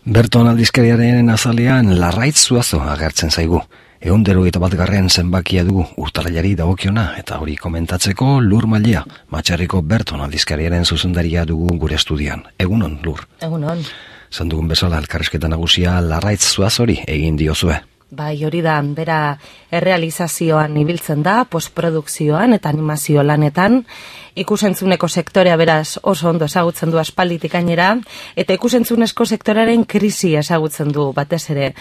Berton aldizkariaren azalean Larraitz Zuazo agertzen zaigu. 121. zenbakia dugu urtarrilari dagokiona eta hori komentatzeko Lur Mailea, Matxarriko Berton aldizkariaren zuzendaria dugu gure estudian. Egunon, Lur. Egunon. Zan dugun bezala elkarrizketa nagusia Larraitz Zuazori egin diozue. Bai, hori da, bera errealizazioan ibiltzen da, postprodukzioan eta animazio lanetan. Ikusentzuneko sektorea beraz oso ondo ezagutzen du aspalditik gainera, eta ikusentzunezko sektoraren krisi ezagutzen du batez ere.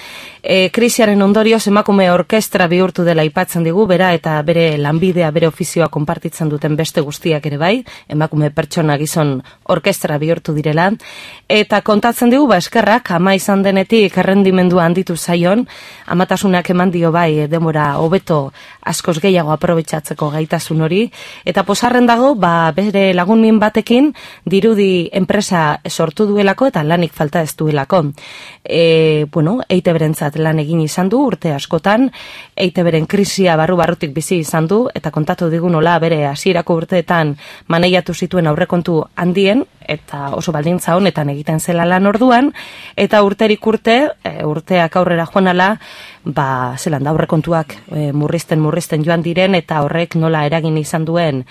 Krisiaren ondorioz emakume orkestra bihurtu dela aipatzen digu, bera eta bere lanbidea, bere ofizioa konpartitzen duten beste guztiak ere bai, emakume pertsona gizon orkestra bihurtu direla, eta kontatzen digu, eskerrak, ama izan denetik errendimendua handitu zaion, amatasunak eman dio bai denbora hobeto askoz gehiago aprobetxatzeko gaitasun hori, eta posarren dago, bere lagun min batekin dirudi enpresa sortu duelako eta lanik falta ez duelako. EITB-rentzat lan egin izan du urte askotan, EITB-ren krisia barrutik bizi izan du, eta kontatu digu nola bere hasierako urteetan maneiatu zituen aurrekontu handien, eta oso baldintza honetan egiten zela lan orduan, eta urterik urteak aurrera joanala, zelan da aurrekontuak murrizten joan diren, eta horrek nola eragin duen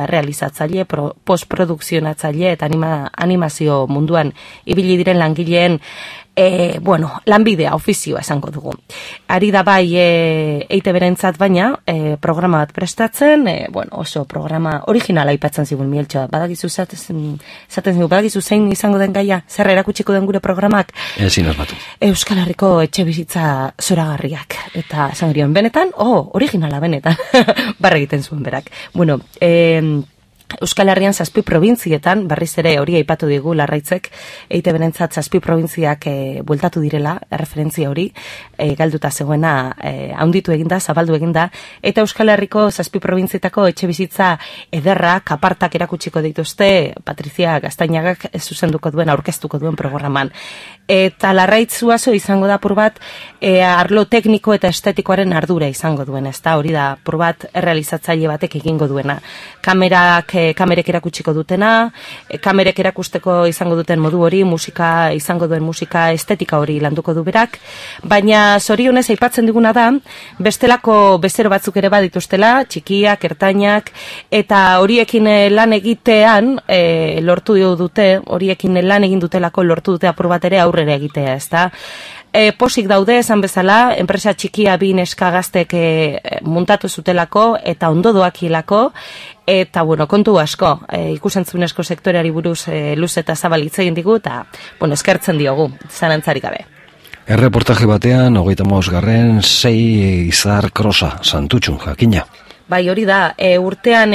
realizatzaile, postprodukzionatzaile eta animazio munduan ibili diren langileen lanbidea, ofizioa esango dugu. Ari da bai EITB-rentzat baina programa bat prestatzen, oso programa originala aipatzen zigun Mieltxoa. Badakizu zein izango den gaia, zer erakutsiko den gure programak? Ezin asmatu. Euskal Herriko etxebizitza zoragarriak. Eta esan gerion, benetan, originala benetan, barra egiten zuen berak. Euskal Herrian 7 probintzietan, berriz ere hori aipatu digu Larraitzek, EITB-rentzat 7 probintziak bueltatu direla, referentzia hori, galduta zegoena handitu eginda, zabaldu eginda, eta Euskal Herriko 7 probintzietako etxe bizitza ederrak, apartak erakutsiko dituzte, Patrizia Gaztainagak zuzenduko duen, aurkeztuko duen programan. Eta Larraitz Zuazo izango da apur bat, arlo tekniko eta estetikoaren ardura izango duen, ezta hori da apur bat errealizatzaile batek egingo duena. Kamerek erakutsiko dutena, kamerek erakusteko izango duten modu hori, izango duen musika estetika hori landuko du berak, baina zorionez aipatzen diguna da, bestelako bezero batzuk ere badituztela, txikiak, ertainak, eta horiekin lan egitean lortu dute, horiekin lan egin dutelako lortu dute apur bat ere aurrera egitea, ezta? Posik daude, esan bezala, enpresa txikia bi neska gaztek muntatu zutelako eta ondo doakilako, eta kontu asko, ikusentzunezko sektoreari buruz luz eta zabal hitz egin digu, eta eskertzen diogu, zalantzarik gabe. Erreportaje batean, 35. 6 izar krosa, Santutxun, jakina. Bai, hori da, urtean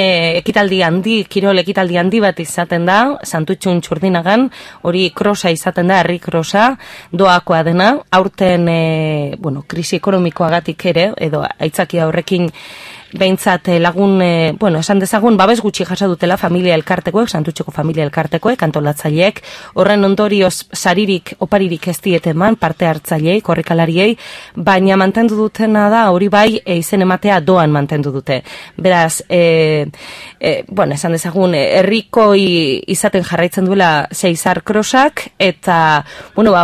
kirol ekitaldi handi bat izaten da, Santutxun Txurdinagan, hori krosa izaten da, herri krosa, doakoa dena, aurten, krisi ekonomikoagatik ere, edo aitzakia horrekin behintzat lagun, esan dezagun, babes gutxi jasa dutela familia elkartekoek, Santutxeko familia elkartekoek, antolatzaileek, horren ondorioz saririk, oparirik ez dieteman, parte hartzaileei, korrikalariei, baina mantendu dutena da, hori bai, izen ematea doan mantendu dute. Beraz, esan dezagun, herrikoi izaten jarraitzen duela Seizar Krosak, eta,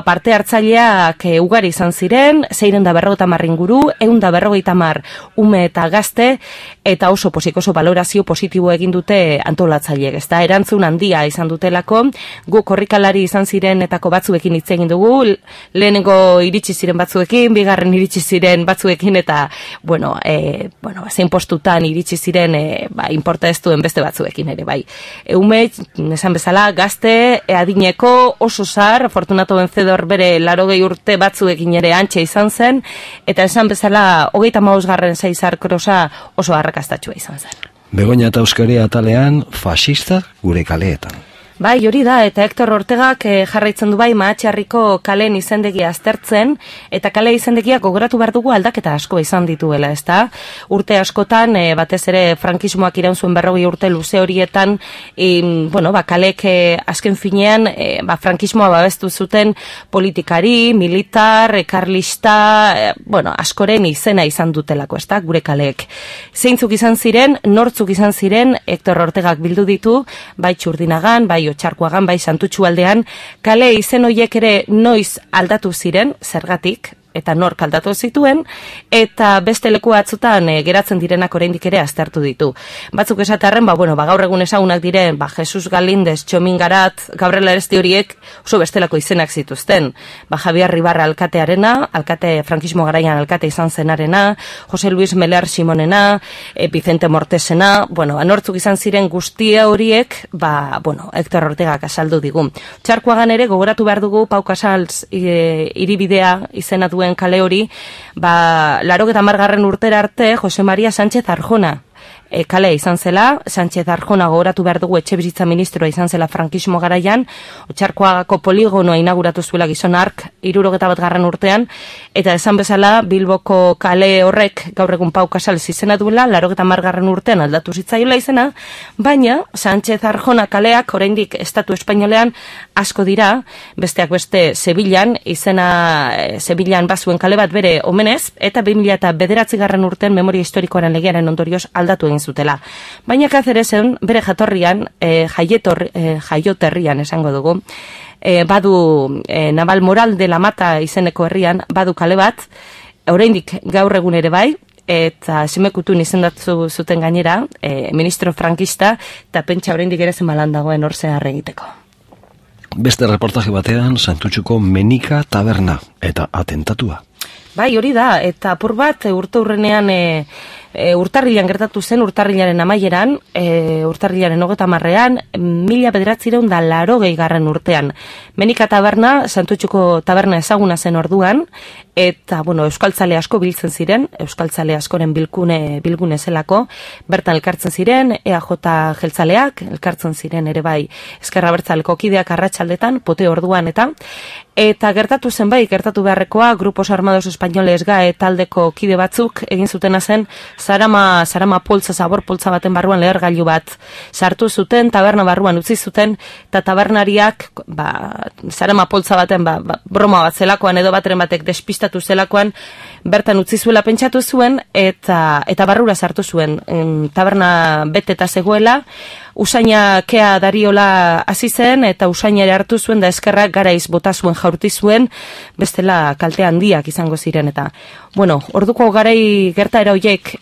parte hartzaileak ugari izan ziren, 650 inguru, 150 ume eta gazte, eta oso balorazio positibo egin dute antolatzaileek, ezta erantzun handia izan dutelako, gu korrikalari izan zirenetako batzuekin hitz egin dugu, lehenengo iritsi ziren batzuekin, bigarren iritsi ziren batzuekin, eta, zein postutan iritsi ziren, inporta ez duen beste batzuekin ere, bai. Ume, esan bezala, gazte, adineko, oso zar, Fortunato Vencedor bere 80 urte batzuekin ere antxe izan zen, eta esan bezala, 35. Seizar Krosa oso arrakastatxua izan zen. Begoña eta Euskaria atalean, fascista gure kaleetan. Bai, hori da, eta Hector Ortegak jarraitzen du bai Mahatxarriko kalen izendegia aztertzen, eta kale izendegia gogoratu behar dugu aldaketa asko izan dituela, ezta? Urte askotan, batez ere frankismoak iraun zuen 40 urte luze horietan, kalek azken finean, frankismoa babestu zuten politikari, militar, karlista, askoren izena izan dutelako, ezta? Gure kaleek. Zeintzuk izan ziren, nortzuk izan ziren, Hector Ortegak bildu ditu, bai Txurdinagan, bai Otxarkoagan, bai Santutxu aldean, kale izen horiek ere noiz aldatu ziren, zergatik, eta nork aldatu zituen, eta beste leku batzutan geratzen direnak oraindik ere aztertu ditu. Batzuk esatarren, gaur egun ezagunak diren, Jesus Galindez, Txomin Garat, Gabriel Aresti horiek oso bestelako izenak zituzten. Javier Ribarra alkatearena, alkate frankismo garaian alkate izan zenarena, Jose Luis Meler Simonena, Vicente Mortesena, anortzuk izan ziren guztia horiek, Hector Ortegak azaldu digu. Txarkoagan ere gogoratu behar dugu Pau Casals hiribidea izena duen kale hori, 80 urtera arte Jose Maria Sánchez Arjona kale izan zela. Sánchez Arjona gogoratu behar dugu etxe bizitza ministroa izan zela frankismo garaian, Otxarkoagako poligonoa inauguratu zuela gizon hark 71 urtean, eta esan bezala Bilboko kale horrek gaur egun Pau Casals izena duela, 80 urtean aldatu zitzaiola izena, baina Sánchez Arjona kaleak oraindik estatu espainolean asko dira, besteak beste Sevillan, Sevillan bazuen kale bat bere omenez, eta 2009 urtean memoria historikoaren legearen ondorioz aldatu egin zutela. Baina Cáceresen bere jatorrian, jaioterrian esango dugu, badu Naval Moral de la Mata izeneko herrian, badu kale bat, oraindik gaur egun ere bai, eta Semekutun izendatu zuten gainera, ministro frankista, eta pentsa oraindik ere zemalan dagoen hor zehar egiteko. Beste reportaje batean, Santutxuko Menika taberna eta atentatua. Bai, hori da, eta apur bat urteurrenean urtarrilan gertatu zen, urtarrilaren amaieran, urtarrilaren 30ean, 1980 urtean. Menika taberna, Santutxuko taberna ezaguna zen orduan, eta, euskaltzale asko biltzen ziren, euskaltzale askoren bilgune zelako, bertan elkartzen ziren, EAJ jeltzaleak, elkartzen ziren ere bai Ezker Abertzaleko kideak arratsaldetan, pote orduan eta gertatu zen bai, gertatu beharrekoa, Grupos Armados Espainoles GAE taldeko kide batzuk egin zutena zen, Zarama poltza, zabor poltza baten barruan lehergailu bat sartu zuten, taberna barruan utzi zuten, eta tabernariak, Zarama poltza baten, broma bat zelakoan edo bateren batek despistatu zelakoan, bertan utzi zuela pentsatu zuen, eta barrura sartu zuen, taberna beteta zegoela, usaina kea dariola hasi zen, eta usaina ere hartu zuen, da eskerrak garaiz bota zuen, jaurti zuen, bestela kalte handiak izango ziren, eta orduko garai gertaera horiek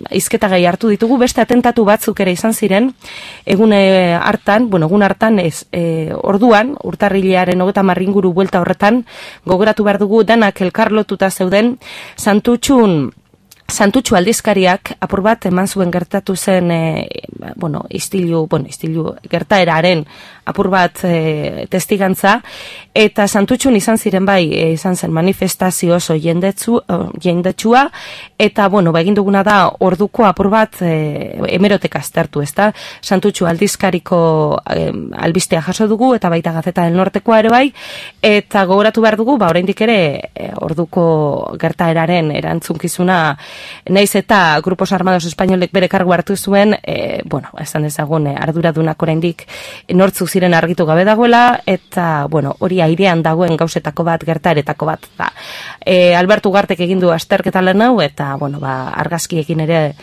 hizketagai hartu ditugu, beste atentatu batzuk ere izan ziren, egun hartan, orduan, urtarrilaren 30 inguru buelta horretan, gogoratu behar dugu danak elkarlotuta zeuden, Santutxu aldizkariak apur bat eman zuen gertatu zen istilu gertaeraren apur bat testigantza, eta Santutxun izan ziren bai, izan zen manifestazio oso jendetsua, eta egin duguna da orduko apur bat hemeroteka aztertu, ezta? Santutxu aldizkariko albistea jaso dugu, eta baita Gazeta del Nortekoa ere bai, eta gogoratu behar dugu, oraindik ere orduko gertaeraren erantzunkizuna, naiz eta Grupos Armados Espainolek bere kargu hartu zuen, esan dezagun arduradunak oraindik nortzuk ziren argitu gabe dagoela, eta hori airean dagoen gauzetako bat, gertaeretako bat. Alberto Ugartek egin du azterketa lan hau, eta argazkiekin ere,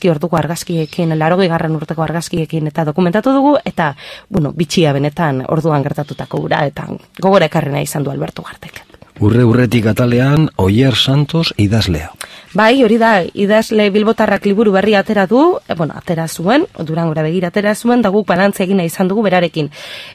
orduko argazkiekin, 80 urteko argazkiekin eta dokumentatu dugu, eta bitxia benetan orduan gertatutako gura, eta gogora ekarrena izan du Alberto Ugartek. Urretik atalean, Oier Santos idazlea. Bai, hori da, idazle bilbotarrak liburu berri atera du, atera zuen, Durangora begira atera zuen, da guk balantze egina izan dugu berarekin.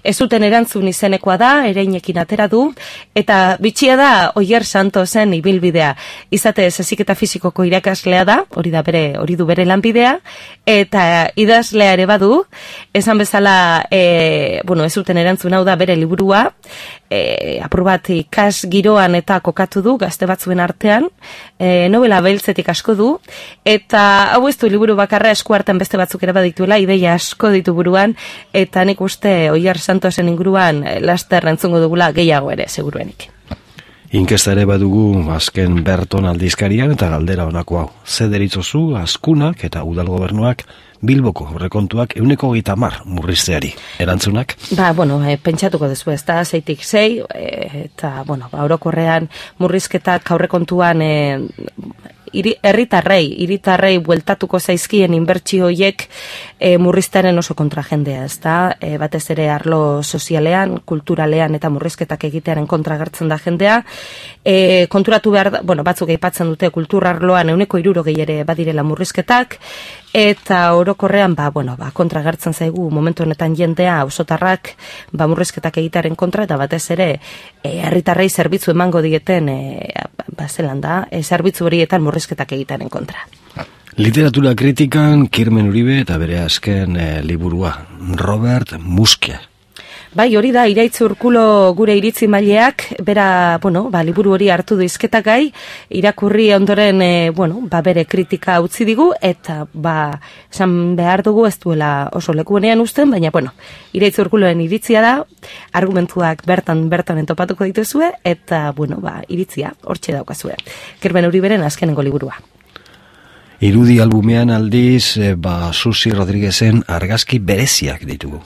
Ez zuten erantzun izenekoa da, ereinekin atera du, eta bitxia da Oier Santosen ibilbidea. Izate heziketa fisikoko irakaslea da, hori du bere lanbidea, eta idazlea ere badu, esan bezala, ez zuten erantzun hau da bere liburua, apur bat ikas giroan eta kokatu du, gazte batzuen artean, novela beltzetik asko du, eta hau ez du liburu bakarra, eskuartean beste batzuk ere badituela, ideia asko ditu buruan, eta nik uste Oier Santosen inguruan laster entzungo dugula gehiago ere, seguruenik. Inkesta ere badugu azken Berton aldizkarian, eta galdera honako hau. Ze deritzozu, Azkunak eta Udal Gobernuak Bilboko horrekontuak 130 murrizteari. Erantzunak? Pentsatuko dezu, ez da, 6-6, eta, orokorrean murrizketak aurrekontuan hiritarrei bueltatuko zaizkien inbertsio horiek murriztaren oso kontra jendea, ezta? Batez ere arlo sozialean, kulturalean eta murrizketak egitearen kontra agertzen da jendea. Konturatu behar da, batzuk aipatzen dute kulturarloan 60% ere badirela murrizketak, eta orokorrean kontra agertzen zaigu momentu honetan jendea auzotarrak murrizketak egitearen kontra, eta batez ere herritarrei zerbitzu emango dieten zerbitzu horietan murrizketak egitearen kontra. Literatura kritikan Kirmen Uribe eta bere azken liburua, Robert Muske. Bai, hori da, Iraitz Urkulo gure iritzi maileak, bera, liburu hori hartu du hizketagai, irakurri ondoren, bere kritika utzi digu, eta, esan behar dugu ez duela oso lekuenean uzten, baina, Iraitz Urkuloen iritzia da, argumentuak bertan entopatuko dituzue, eta, iritzia, hortxe daukazue. Kirmen Uriberen azkenengo liburua. Irudi albumean aldiz, Susi Rodriguezen argazki bereziak ditugu.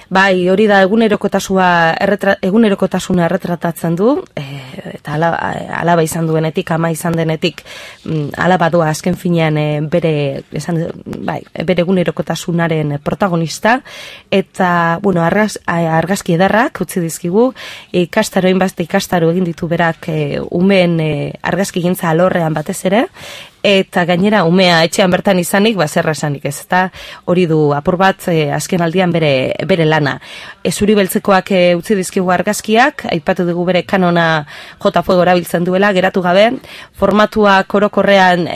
Bai, hori da egunerokotasuna erretratatzen du, eta alaba izan duenetik, ama izan denetik, alaba doa azken finean bere egunerokotasunaren protagonista, eta, argazki edarrak utzi dizkigu, ikastaro egin ditu berak umeen argazki gintza alorrean batez ere, eta gainera umea etxean bertan izanik, zerra esanik ez, eta hori du apur bat azken aldian bere lana. Zuri beltzekoak utzi dizkigu argazkiak, aipatu dugu bere kanona J. Fuego erabiltzen duela, geratu gabe, formatuak orokorrean,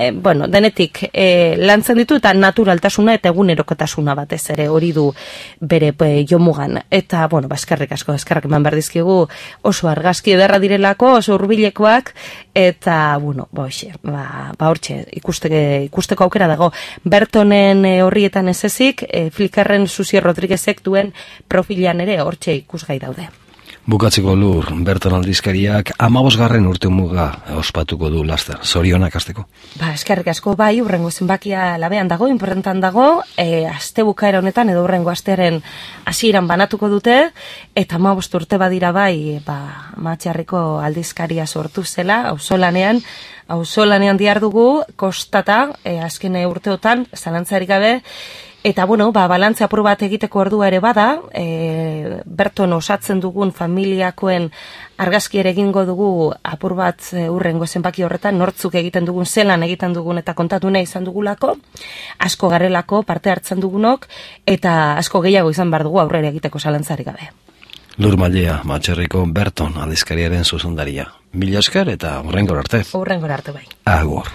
denetik lantzen ditu, eta naturaltasuna eta egunerokotasuna batez ere hori du bere jomugan. Eta, eskerrik asko, eskerrak eman behar dizkigu oso argazki ederra direlako, oso hurbilekoak, eta, hortxe, ikusteko aukera dago. Bertonen horrietan ez ezik, Flickarren Susi Rodriguezek duen profilan ere hortxe ikusgai daude. Bukatzeko Lur, Berton aldizkariak 15. urtemuga ospatuko du laster. Zorionak hasteko. Eskerrik asko, hurrengo zenbakia labean dago, inportantan dago, aste bukaera honetan edo hurrengo astearen hasieran banatuko dute, eta 15 urte badira Matxarriko aldizkaria sortu zela, auzolanean dihardugu, kostata, azken urteotan, zalantzarik gabe, eta, balantze apur bat egiteko ordua ere bada, Berton osatzen dugun familiakoen argazki ere egingo dugu apur bat hurrengo zenbaki horretan, nortzuk egiten dugun, zelan egiten dugun eta kontatu nahi izan dugulako, asko garelako parte hartzen dugunok, eta asko gehiago izan behar dugu aurrera egiteko zalantzarik gabe. Lur Mallea, Matxarriko Berton aldizkariaren zuzendaria. Mila esker eta hurrengora arte. Hurrengora arte bai. Agur.